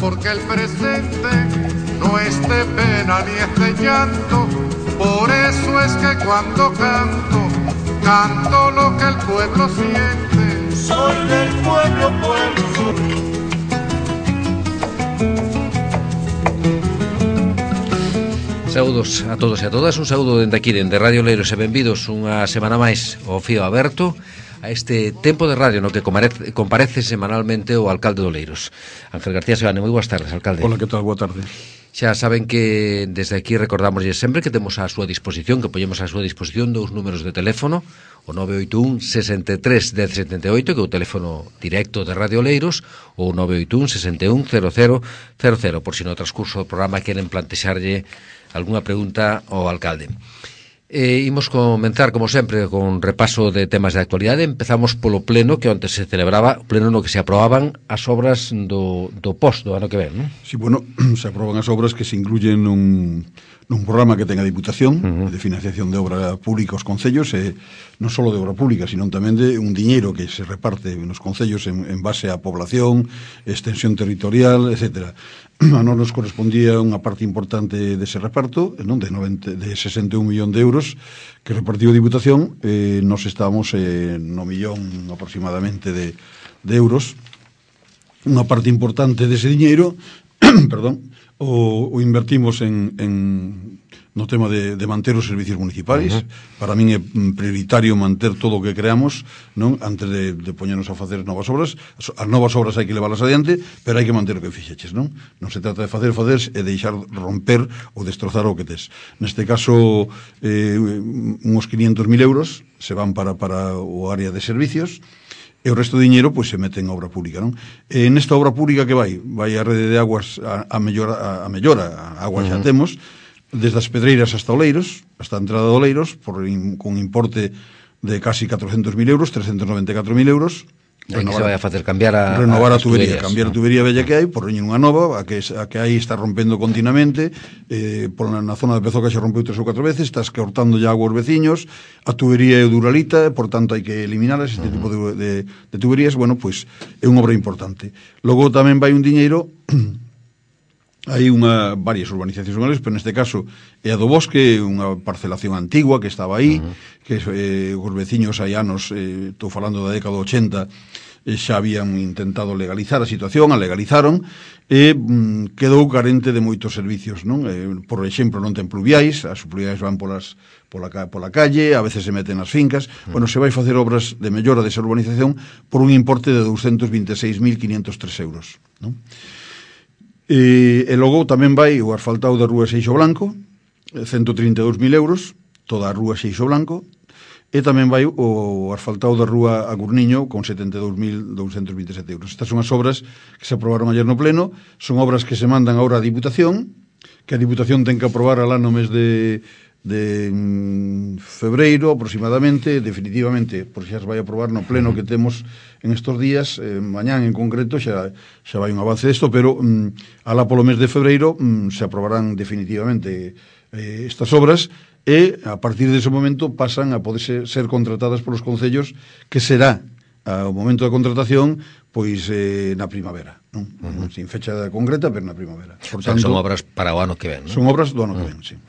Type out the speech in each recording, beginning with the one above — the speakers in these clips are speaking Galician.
porque el presente no es de pena ni es de llanto. Por eso es que cuando canto, canto lo que el pueblo siente. Soy del pueblo, pueblo. Saúdos a todos e a todas, un saúdo dende aquí, dende Radio Oleiros, e benvidos unha semana máis ao Fío Aberto, a este tempo de radio no que comparece semanalmente o alcalde de Oleiros, Ángel García Seoane. Moi boas tardes, alcalde. Hola, que tal? Boa tarde. Xa saben que desde aquí recordamoslle sempre que temos á súa disposición, que poñemos á súa disposición dous números de teléfono, o 981 63 1078, que é o teléfono directo de Radio Oleiros, ou 981 61 0000, por si no transcurso do programa queren plantexarlle algunha pregunta ao alcalde. Imos comenzar, como sempre, con repaso de temas de actualidade. Empezamos polo pleno que onte se celebraba, o pleno no que se aprobaban as obras do POS do ano que ven, non? Sí, bueno, se aproban as obras que se incluyen nun programa que ten a Diputación de financiación de obra pública aos concellos, non só de obra pública, sino tamén de un diñeiro que se reparte nos concellos en base á población, extensión territorial, etcétera. A nos correspondía unha parte importante dese reparto, non, de 61 millón de euros que repartiu a Diputación. Nos estábamos no millón aproximadamente de euros. Unha parte importante dese diñeiro perdón, o invertimos no tema de manter os servicios municipais. Para min é prioritario manter todo o que creamos, non, antes de poñernos a facer novas obras. As novas obras hai que leválas adiante, pero hai que manter o que fixeches, non? Non se trata de facer e deixar romper ou destrozar o que tes. Neste caso, uns 500.000 euros se van para o área de servicios, e o resto do diñeiro pois se mete en obra pública, non? Nesta obra pública que vai a rede de aguas a mellora, a agua xa temos, desde as Pedreiras hasta Oleiros, hasta a entrada de Oleiros, con importe de casi 400.000 euros, 394.000 euros. Aí que se vai a facer renovar a tubería, cambiar a tubería bella que hai, por unha nova, a que aí está rompendo continuamente, na zona de Pezoca xa rompeu 3 ou 4 veces, estás cortando ya agua aos veciños, a tubería é duralita, por tanto hai que eliminarlas, este tipo de tuberías. Bueno, pois é unha obra importante. Logo tamén vai un diñeiro, hai varias urbanizacións zonales, pero neste caso é a do Bosque, unha parcelación antigua que estaba aí, que os veciños hai anos, estou falando da década 80, xa habían intentado legalizar a situación, a legalizaron, e quedou carente de moitos servicios, non? Por exemplo, non ten pluviais, as pluviais van pola calle, a veces se meten nas fincas. Bueno, se vai facer obras de mellora desa urbanización por un importe de 226.503 euros, non? E logo tamén vai o asfaltado da rúa Seixo Blanco, 132.000 euros, toda a rúa Seixo Blanco, e tamén vai o asfaltado da rúa Agurniño con 72.227 euros. Estas son as obras que se aprobaron ayer no pleno, son obras que se mandan agora á Diputación, que a Diputación ten que aprobar alá no mes de febreiro aproximadamente, definitivamente, porque xa se vai aprobar no pleno que temos en estos días. Mañán en concreto xa vai un avance desto, pero alá polo mes de febreiro se aprobarán definitivamente estas obras, e a partir dese momento pasan a poder ser contratadas polos concellos, que será ao momento da contratación pois na primavera, non? Sin fecha concreta, pero na primavera. Por tanto, son obras para o ano que ven, non? Son obras do ano que ven, sí.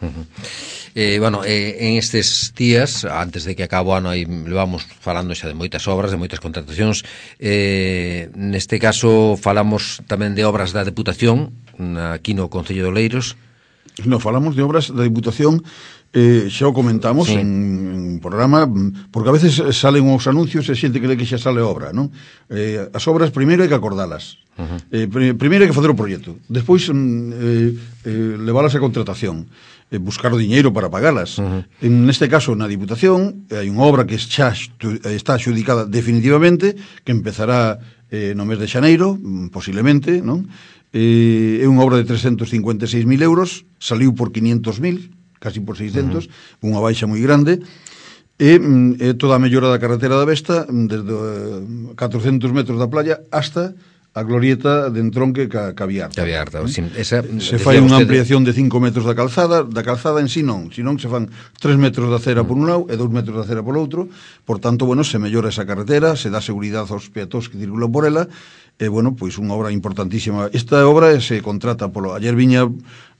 En estes días, antes de que acabe o ano, aí levamos falando xa de moitas obras, de moitas contratacións. Neste caso falamos tamén de obras da Deputación aquí no Concello de Oleiros. Non, falamos de obras da Diputación, xa o comentamos en programa, porque a veces salen os anuncios e xente que le que xa sale obra, non? As obras primeiro hai que acordalas. Primeiro hai que facer o proxecto, despois leválas a contratación, buscar o diñeiro para pagalas. En este caso, na Diputación, hai unha obra que xa está adjudicada definitivamente, que empezará no mes de xaneiro, posiblemente, non? É unha obra de 356.000 euros, saliu por 500.000, casi por 600, unha baixa moi grande, e toda a mellora da carretera da Vesta, desde 400 metros da playa hasta a glorieta de entronque ca Viarta. Se fai unha ampliación de 5 metros da calzada en si non se fan 3 metros de acera por un lado e 2 metros de acera por outro, por tanto, bueno, se mellora esa carretera, se dá seguridade aos peatóns que circulan por ela, e, bueno, pois unha obra importantísima. Esta obra se contrata ayer viña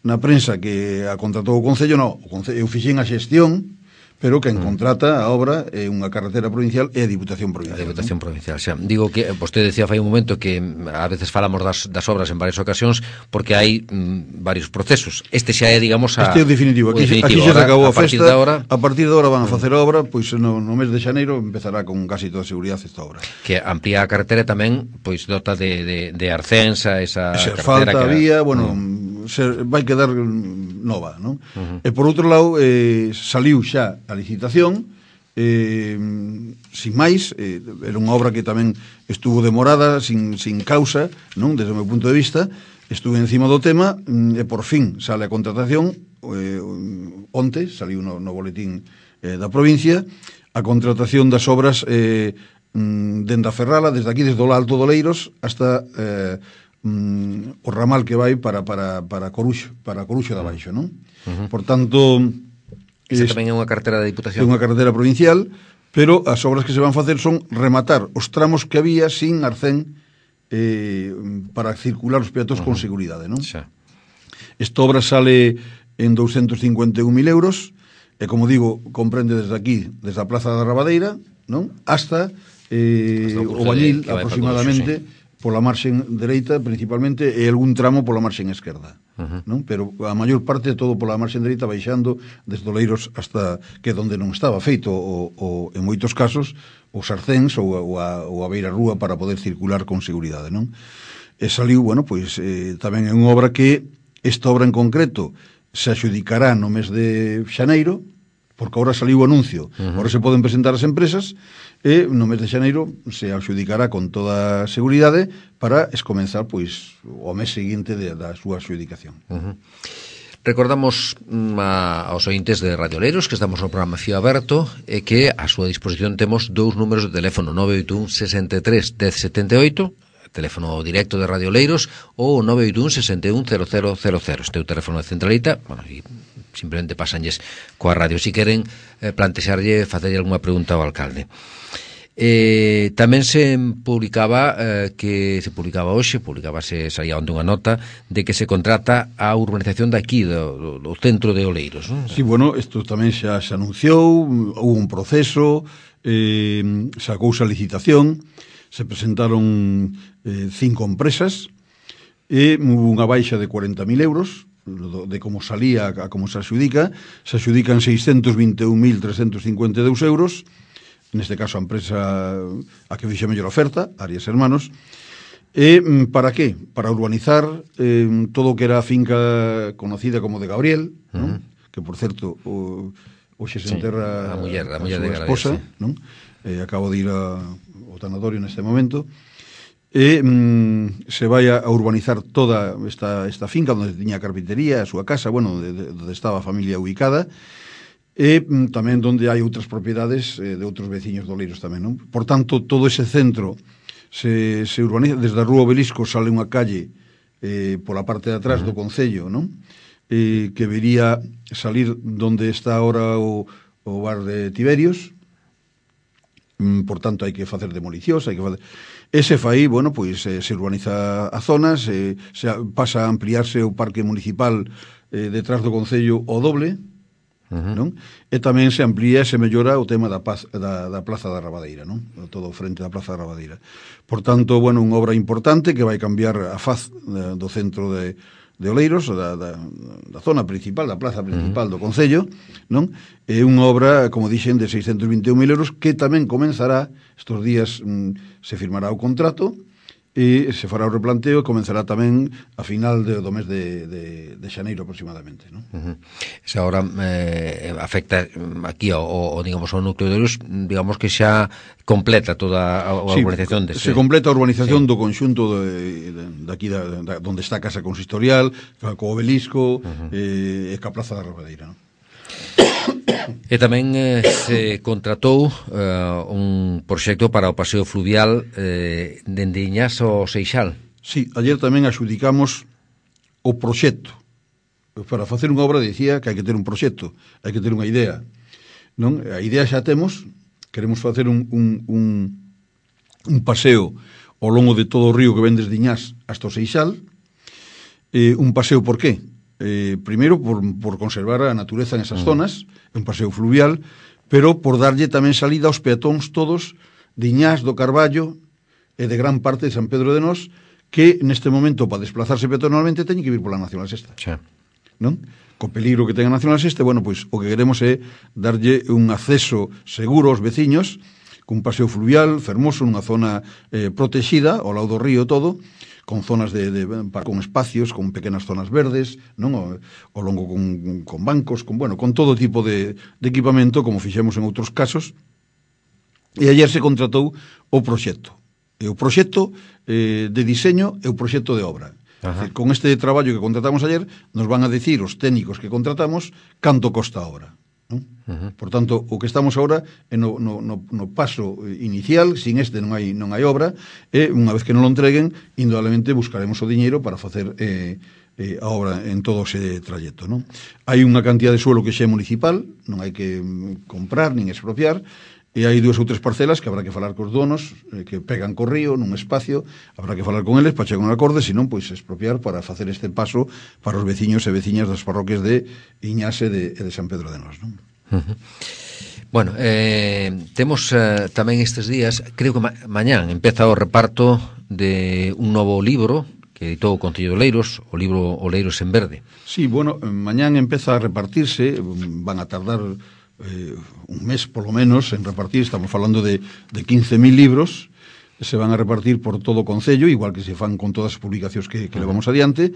na prensa que a contratou o Concello, eu fixen a xestión, pero quen contrata a obra é unha carretera provincial e a Diputación Provincial. A Diputación Provincial, xa. Digo que vostede decía fai un momento que a veces falamos das obras en varias ocasións porque hai varios procesos. Este xa é, digamos, este é o definitivo. Aquí xa se acabou a festa. A partir de ahora van a facer a obra, pois no mes de xaneiro empezará con casi toda seguridade esta obra. Que amplía a carretera tamén, pois dota de arcensa, esa falta carretera que vía, bueno, vai quedar nova, non? E por outro lado, saliu xa a licitación, sin máis, era unha obra que tamén estuvo demorada, sin causa, non, desde o meu punto de vista, estuve encima do tema, e por fin sale a contratación, onte, saliu no boletín da provincia, a contratación das obras dende a Ferrala, desde aquí, desde o Alto do Leiros, hasta o ramal que vai para Coruxo de Abaixo, non? Por tanto, esa tamén é unha carretera da Diputación. É unha carretera provincial, pero as obras que se van facer son rematar os tramos que había sin arcén para circular os peatóns con seguridade, non? Xa. Esta obra sale en 251.000 euros, e como digo, comprende desde aquí, desde a Plaza da Rabadeira, non? Hasta o Bañil, aproximadamente, pola marxen dereita, principalmente, e algún tramo pola marxen esquerda. Non? Pero a maior parte todo pola marxen dereita, baixando desde Oleiros hasta que donde non estaba feito en moitos casos os arcéns ou a beira rúa para poder circular con seguridade, non? E saliu, bueno, pois tamén é unha obra que esta obra en concreto se adxudicará no mes de xaneiro, porque agora saliu o anuncio, agora se poden presentar as empresas, e no mes de xaneiro se adxudicará con toda seguridade para escomenzar, pois, o mes seguinte da súa adxudicación. Recordamos aos ointes de Radio Oleiros que estamos no programa Fío Aberto e que a súa disposición temos dous números de teléfono, 981 63 1078, teléfono directo de Radio Oleiros, ou 981 61 0000. Este é o teléfono de centralita, bueno, e simplemente pasanlles coa radio se queren plantexarlle, facerlle alguna pregunta ao alcalde. Tamén se publicaba saía onde unha nota de que se contrata a urbanización daqui do centro de Oleiros, non? Sí, bueno, isto tamén xa se anunciou, houve un proceso, sacouse a licitación, se presentaron 5 empresas e houve unha baixa de 40.000 euros de como salía a como se adxudican 621.352 euros. Neste caso a empresa a que fixe mellor oferta, Arias Hermanos. E para que? Para urbanizar todo o que era a finca conocida como de Gabriel, non? Que por certo hoxe se enterra a muller a de súa esposa, non? Acabo de ir ao tanatorio neste momento. E se vai a urbanizar toda esta finca onde tiña a carpintería, a súa casa, bueno, onde estaba a familia ubicada, e tamén onde hai outras propiedades de outros veciños de Oleiros tamén, non? Por tanto, todo ese centro se urbaniza, desde a Rúa Obelisco sale unha calle pola parte de atrás do Concello, non? Que vería salir donde está ahora o bar de Tiberios. Por tanto, hai que facer demolicións, hai que facer... Ese fai, bueno, pois se urbaniza a zonas, pasa a ampliarse o parque municipal detrás do Concello o doble, non? E tamén se amplía e se mellora o tema da Plaza da Rabadeira, non? Todo frente da Plaza da Rabadeira. Por tanto, bueno, unha obra importante que vai cambiar a faz do centro de Oleiros, da zona principal, da plaza principal do Concello, non? É unha obra, como dixen, de 621.000 euros que tamén comenzará, estos días se firmará o contrato e se fará o replanteo e comenzará tamén a final do mes de xaneiro aproximadamente, non? Esa hora afecta aquí digamos, ao núcleo de Oleiros, digamos que xa completa toda a urbanización se completa a urbanización do conxunto daqui onde está a Casa Consistorial, co Obelisco e ca Plaza da Rabadeira, non? E tamén se contratou un proxecto para o paseo fluvial dende Iñas ao Seixal. Sí, ayer tamén axudicamos o proxecto. Para facer unha obra dicía que hai que ter un proxecto, hai que ter unha idea. Non? A idea xa temos, queremos facer un paseo ao longo de todo o río que ven desde Iñas hasta o Seixal. Un paseo por qué? Primeiro por conservar a natureza en esas zonas, un paseo fluvial, pero por darlle tamén salida aos peatóns todos de Iñas, do Carballo e de gran parte de San Pedro de Nós, que neste momento para desplazarse peatonalmente teñen que vir pola Nacional Sexta. Xa. Non? Co peligro que ten a Nacional Sexta, bueno, pois o que queremos é darlle un acceso seguro aos veciños, cun paseo fluvial fermoso nunha zona protexida ao lado do río todo, con zonas con espacios, con pequenas zonas verdes, non? Ao longo con bancos, con todo tipo de equipamento, como fixemos en outros casos. E ayer se contratou o proxecto. E o proxecto de diseño e o proxecto de obra. Decir, con este traballo que contratamos ayer, nos van a decir os técnicos que contratamos canto costa a obra. Non? Por tanto, o que estamos agora é no paso inicial, sin este non hai obra, e unha vez que non lo entreguen, indudablemente buscaremos o diñeiro para facer a obra en todo ese trayecto. Non? Hai unha cantidad de suelo que xa é municipal, non hai que comprar nin expropiar, e hai 2 ou 3 parcelas que habrá que falar cos donos que pegan co río nun espacio, habrá que falar con eles para chegar a un acorde, senón pois expropiar para facer este paso para os veciños e veciñas das parroquias de Iñas e de San Pedro de Nós, non? Bueno, temos tamén estes días, creo que mañán empeza o reparto de un novo libro que editou o Concello de Oleiros, o libro Oleiros en Verde. Sí, bueno, mañán empeza a repartirse, van a tardar un mes polo menos en repartir, estamos falando de 15.000 libros, se van a repartir por todo o Concello, igual que se fan con todas as publicacións que levamos adiante.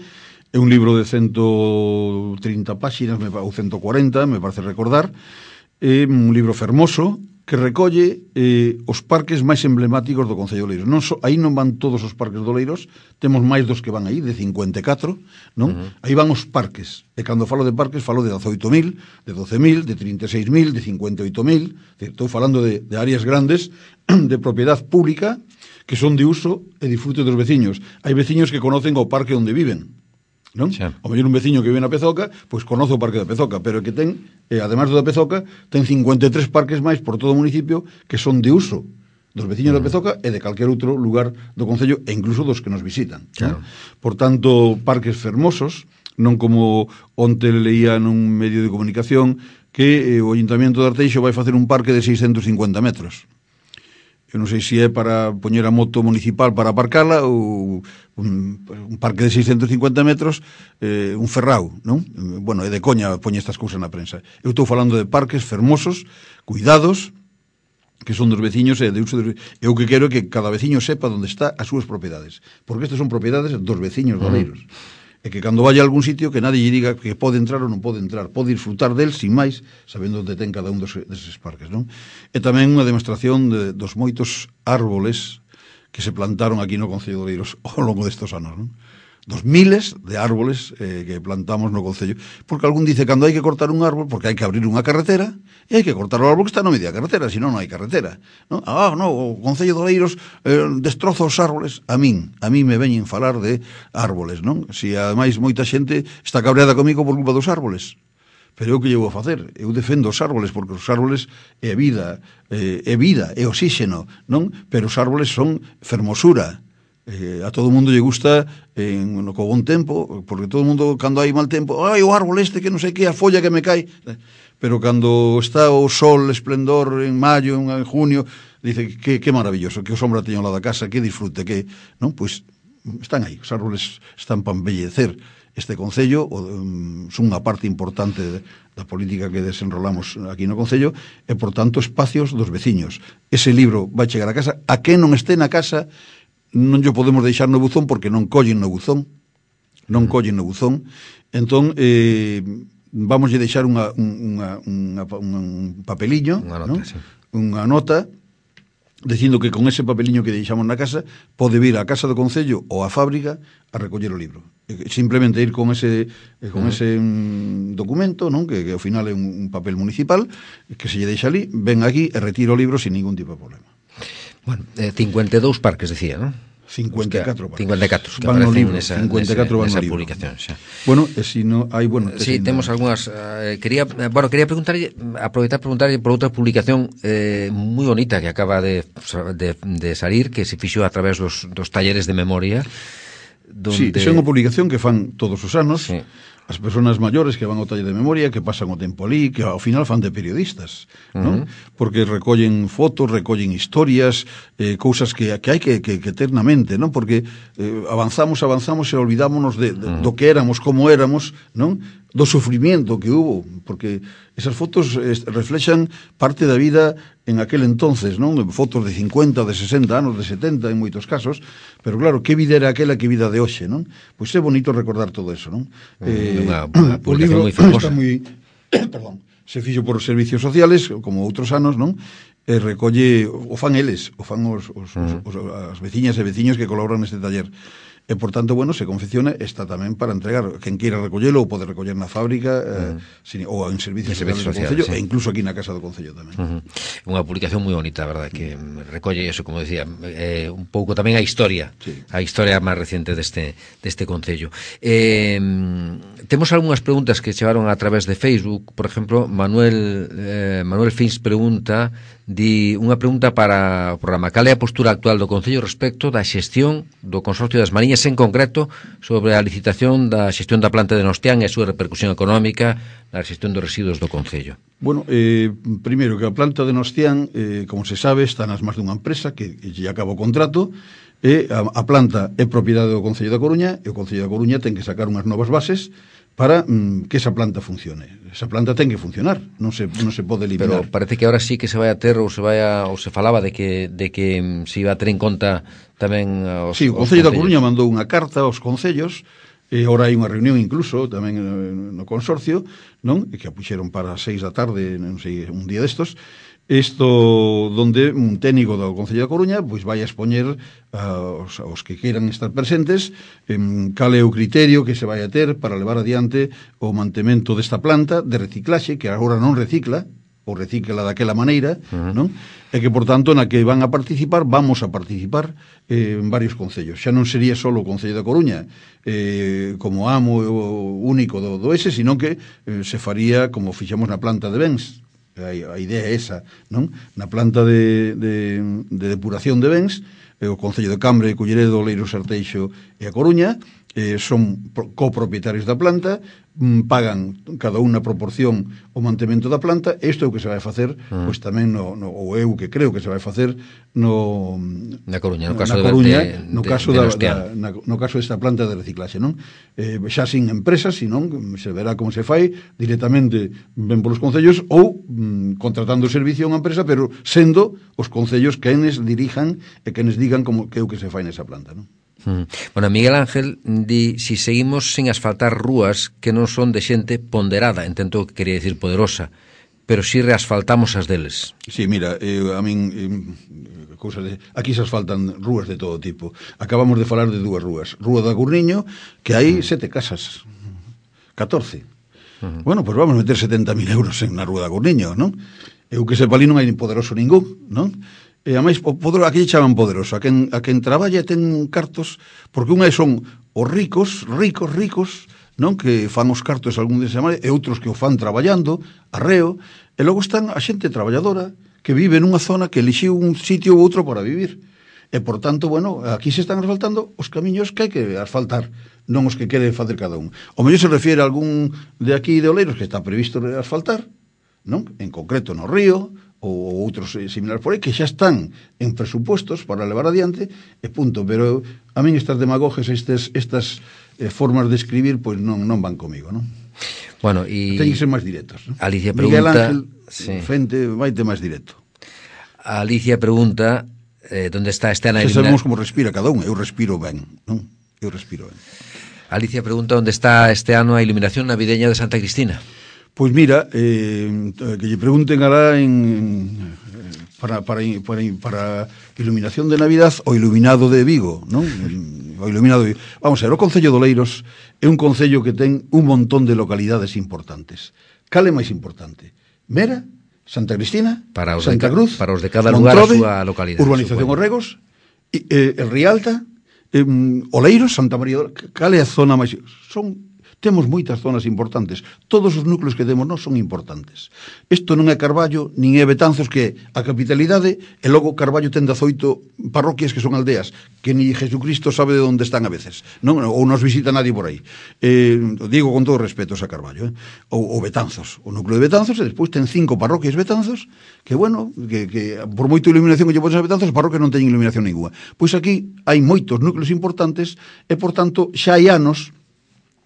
É un libro de 130 páxinas, ou 140, me parece recordar, é un libro fermoso que recolle os parques máis emblemáticos do Concello de Oleiros. Aí non van todos os parques de Oleiros, temos máis dos que van aí, de 54, non? Aí van os parques, e cando falo de parques falo de 18.000, de 12.000, de 36.000, de 58.000, estou falando de áreas grandes de propiedad pública que son de uso e disfrute dos veciños. Hai veciños que conocen o parque onde viven, non? Xa. O mellor un veciño que vive na Pezoca, pois conoce o parque da Pezoca, pero que ten, ademais do da Pezoca, ten 53 parques máis por todo o municipio que son de uso dos veciños da Pezoca e de calquer outro lugar do Concello, e incluso dos que nos visitan. Claro. Por tanto, parques fermosos, non como onte leía nun medio de comunicación que o Ayuntamiento de Arteixo vai facer un parque de 650 metros. Eu non sei se é para poñer a moto municipal para aparcala ou un parque de 650 metros, un ferrao, non? Bueno, é de coña poñer estas cousas na prensa. Eu estou falando de parques fermosos, cuidados, que son dos veciños e de uso de... Eu que quero é que cada veciño sepa onde está as súas propiedades, porque estas son propiedades dos veciños de Oleiros. E que cando vaya a algún sitio que nadie lle diga que pode entrar ou non pode entrar, pode disfrutar del sin máis, sabendo onde ten cada un deses parques, non? E tamén unha demostración dos moitos árboles que se plantaron aquí no Concello de Oleiros ao longo destes anos, non? Dos miles de árboles que plantamos no Concello, porque algún dice cando hai que cortar un árbol, porque hai que abrir unha carretera e hai que cortar o árbol que está no medio da carretera, senón non hai carretera, non? O Concello de Oleiros destroza os árboles. A min me veñen falar de árboles, non? Si ademais moita xente está cabreada comigo por culpa dos árboles, pero eu que llevo a facer? Eu defendo os árboles, porque os árboles é vida, é oxígeno, non? Pero os árboles son fermosura. A todo mundo lle gusta co bon tempo, porque todo mundo cando hai mal tempo, o árbol este que non sei que, a folla que me cae, pero cando está o sol esplendor en maio, en junio, dice que maravilloso, que o sombra teño ao lado da casa, que disfrute, que, non? Pois están aí, os árboles están para embellecer este Concello, son unha parte importante da política que desenrolamos aquí no Concello, e por tanto espacios dos veciños. Ese libro vai chegar a casa, a quen non este na casa non lle podemos deixar no buzón porque non collen no buzón. Entón, vamos a deixar un papeliño, unha nota, sí. Unha nota dicindo que con ese papeliño que deixamos na casa pode vir á casa do Concello ou á fábrica a recoller o libro. Simplemente ir con ese documento, non? Que ao final é un papel municipal que se lle deixa ali, ven aquí e retira o libro sin ningún tipo de problema. Bueno, 52 parques, decía, non? 54 parques. 54 que van no aparecen libro, nesa 54 van no libro. Publicación, xa. Bueno, e si no hai, sí, temos algunhas quería preguntarlle, aproveitar preguntarlle por outra publicación moi bonita que acaba de salir, que se fixo a través dos talleres de memoria. Sí, é unha publicación que fan todos os anos. Sí. As persoas maiores que van ao taller de memoria, que pasan o tempo ali, que ao final fan de periodistas, non? Porque recollen fotos, recollen historias, cousas que hai que ter na mente, non? Porque avanzamos e olvidámonos do que éramos, como éramos, non? Do sufrimiento que hubo, porque esas fotos reflexan parte da vida en aquel entonces, non? Fotos de 50, de 60 anos, de 70 en moitos casos, pero claro, que vida era aquela, que vida de hoxe, non? Pois é bonito recordar todo eso, non? Unha O libro moi famosa. está moi perdón, se fixo por os servicios sociales, como outros anos, non? E recolle, o fan eles, o fan as veciñas e veciños que colaboran neste taller. E, por tanto, bueno, se confecciona, está tamén para entregar. Quen queira recollelo ou pode recoller na fábrica ou en servicios sociales do Concello, e incluso aquí na Casa do Concello tamén. Unha publicación moi bonita, verdad, que recolle eso, como decía, un pouco tamén a historia, sí, a historia máis reciente deste Concello. Temos algunhas preguntas que chegaron a través de Facebook. Por exemplo, Manuel Fins pregunta, unha pregunta para o programa: cal é a postura actual do Concello respecto da xestión do Consorcio das Mariñas, en concreto sobre a licitación da xestión da planta de Nostián e a súa repercusión económica na xestión dos residuos do Concello? Bueno, primeiro que a planta de Nostián, como se sabe, está nas mans dunha empresa que lle acaba o contrato, e a planta é propiedade do Concello da Coruña, e o Concello da Coruña ten que sacar unhas novas bases para que esa planta funcione. Esa planta ten que funcionar, non se pode eliminar. Pero parece que ahora sí que se vai a ter, ou se falaba de que se iba a ter en conta tamén os sí, o Concello da Coruña mandou unha carta aos concellos, e agora hai unha reunión incluso tamén no consorcio, non? E que a puxeron para 6 da tarde, non sei, un día destos. Isto donde un técnico do Concello da Coruña pois vai a expoñer aos que queiran estar presentes cal é o criterio que se vai a ter para levar adiante o mantemento desta planta de reciclaxe, que agora non recicla, ou recicla daquela maneira, non? E que, por tanto, na que van a participar, vamos a participar en varios concellos. Xa non sería só o Concello da Coruña como amo único do ese, sino que se faría como fixamos na planta de Bens. A idea é esa, non? Na planta de depuración de bens, o Concello de Cambre, Culleredo, Oleiros, Arteixo e a Coruña son copropietarios da planta, pagan cada unha proporción o mantemento da planta. Isto é o que se vai facer, pois tamén ou eu que creo que se vai facer na Coruña, no caso no caso desta planta de reciclaxe, non? Xa sin empresas, senón se verá como se fai directamente ben polos concellos ou contratando o servicio a unha empresa, pero sendo os concellos quenes dirijan e quenes digan como que é o que se fai nesa planta, non? Bueno, Miguel Ángel di si seguimos sin asfaltar rúas que non son de xente ponderada, entendo que quería dicir poderosa, pero si reasfaltamos as deles. Sí, mira, a min aquí se asfaltan rúas de todo tipo. Acabamos de falar de dúas rúas. Rúa da Gurniño, que hai 7 casas, 14. Bueno, pois vamos meter 70.000 euros na Rúa da Gurniño, non? Eu que sepa ali non hai poderoso ningún, non? E a máis, aquí chaman poderoso a quen traballa ten cartos, porque unha son os ricos, non? Que fan os cartos algún de semana, e outros que o fan traballando, arreo, e logo están a xente traballadora que vive nunha zona que elixiu un sitio ou outro para vivir. E, por tanto, bueno, aquí se están asfaltando os camiños que hai que asfaltar, non os que quere facer cada un. O mellor se refiere a algún de aquí de Oleiros que está previsto asfaltar, non? En concreto no río, ou outros similares por aí, que xa están en presupuestos para levar adiante, e punto. Pero a min estas demagogias, estas formas de escribir, pois non van comigo, non? Bueno, e ten que ser máis directos, non? Alicia pregunta, Miguel Ángel, Fente, vaite máis directo. Alicia pregunta onde está este ano a eliminación. Sabemos como respira cada un, eu respiro ben, non? Eu respiro ben. Alicia pregunta onde está este ano a iluminación navideña de Santa Cristina. Pois mira, que lle pregunten alá para iluminación de Navidad o iluminado de Vigo, non? O iluminado de Vigo. Vamos a ver, o Concello de Oleiros é un concello que ten un montón de localidades importantes. Cal é máis importante? Mera, Santa Cristina, Santa Cruz, para os de cada Montrove, lugar a súa localidade. Urbanización Orregos, el Rialta, Oleiros, Santa María. Cal é a zona máis... Temos moitas zonas importantes. Todos os núcleos que temos nós son importantes. Isto non é Carballo, nin é Betanzos, que é a capitalidade, e logo Carballo ten 18 parroquias que son aldeas, que ni Jesucristo sabe de onde están a veces, non? Ou nos visita nadie por aí. Digo con todo respeto a Carballo. Ou Betanzos. O núcleo de Betanzos, e despois ten 5 parroquias Betanzos, que, bueno, que por moito iluminación que lle pones a Betanzos, as parroquias non teñen iluminación ninguna. Pois aquí hai moitos núcleos importantes, e, por tanto, xa hai anos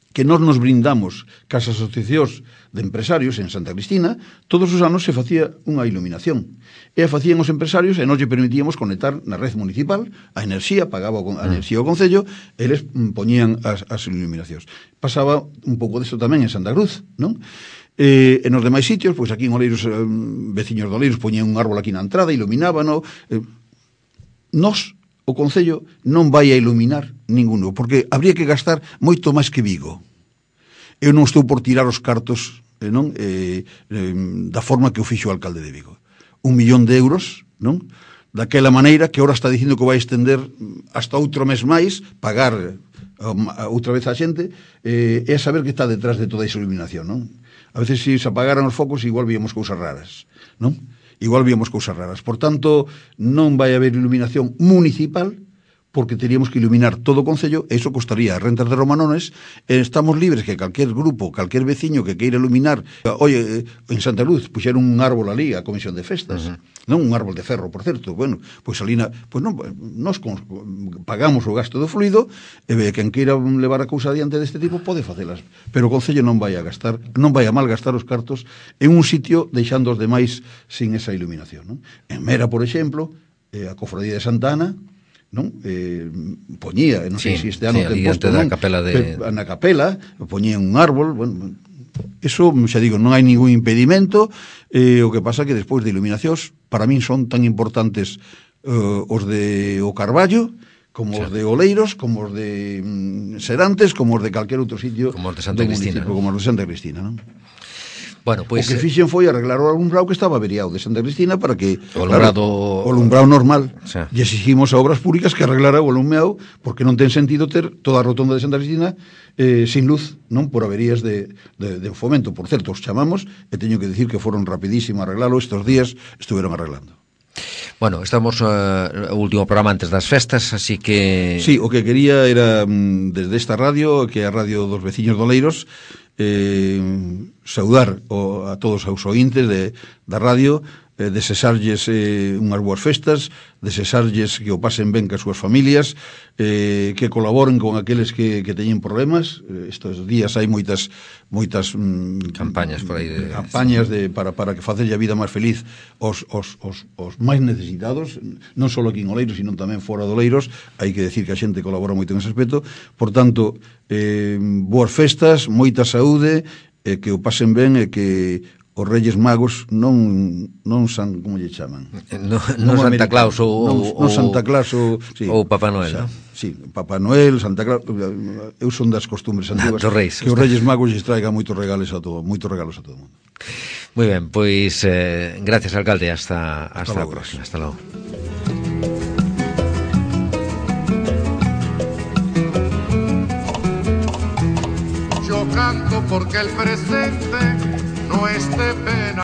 que nós nos brindamos cas asociacións de empresarios en Santa Cristina, todos os anos se facía unha iluminación. E a facían os empresarios e nós lle permitíamos conectar na red municipal a enerxía, pagaba a enerxía ao Concello, e eles poñían as iluminacións. Pasaba un pouco desto tamén en Santa Cruz, non? E nos demais sitios, pois aquí en Oleiros, veciños de Oleiros poñían un árbol aquí na entrada, iluminábano. Nós, o Concello, non vai a iluminar ninguno, porque habría que gastar moito máis que Vigo. Eu non estou por tirar os cartos da forma que o fixo o alcalde de Vigo. 1 millón de euros, non? Daquela maneira que ahora está dicindo que vai extender hasta outro mes máis, pagar outra vez a xente, é saber que está detrás de toda esa iluminación, non? A veces, se apagaran os focos, igual víamos cousas raras, non? Igual víamos cousas raras. Por tanto, non vai haber iluminación municipal, porque teríamos que iluminar todo o Concello, e iso costaría rentas de Romanones, e estamos libres que calquer grupo, calquer veciño que queira iluminar, oye, en Santa Luz, puxeron un árbol ali, a Comisión de Festas, non un árbol de ferro, por certo, bueno, pois ali, pois non, nos pagamos o gasto do fluido, e quen queira levar a cousa adiante deste tipo pode facelas, pero o Concello non vai a gastar, non vai a malgastar os cartos en un sitio deixando os demais sin esa iluminación, non? En Mera, por exemplo, a Cofradía de Santa Ana, non? Poñía, non sei se este ano ten posto, non? Na capela poñía un árbol, bueno, eso, xa digo, non hai ningún impedimento. O que pasa que despois de iluminacións, para min son tan importantes os de o Carballo, como os de Oleiros, como os de Serantes, como os de calquer outro sitio, como os de Santa Cristina, como os de Santa Cristina, non? Bueno, pois, o que fixen foi arreglar o alumbrado que estaba averiado de Santa Cristina para que o alumbrado normal, e exigimos a Obras Públicas que arreglara o alumbrado, porque non ten sentido ter toda a rotonda de Santa Cristina sin luz, non, por averías de Fomento. Por certo, os chamamos, e teño que dicir que foron rapidísimo a arreglalo, estes días estuveron arreglando. Bueno, estamos o último programa antes das festas, así que... Sí, o que quería era, desde esta radio, que é a radio dos veciños de Oleiros, saudar a todos os ointes da radio, desexarlles unhas boas festas, desexarlles que o pasen ben cas súas familias, que colaboren con aqueles que teñen problemas. Estes días hai moitas campañas por aí campañas para que facerlle a vida máis feliz os máis necesitados, non só aquí en Oleiros, sino tamén fora de Oleiros. Hai que decir que a xente colabora moito en ese aspecto. Por tanto, boas festas, moita saúde, que o pasen ben, e que os Reyes Magos non san, como lle chaman? Non Santa Claus ou Santa Claus ou Papá Noel, non? Sí, Papá Noel, Santa Claus, eu son das costumbres antiguas, que os Reyes Magos lles traigan moitos regalos a todo o mundo. Moi ben, pois gracias, alcalde, hasta a próxima. Hasta logo. Yo canto porque el presente no es de pena.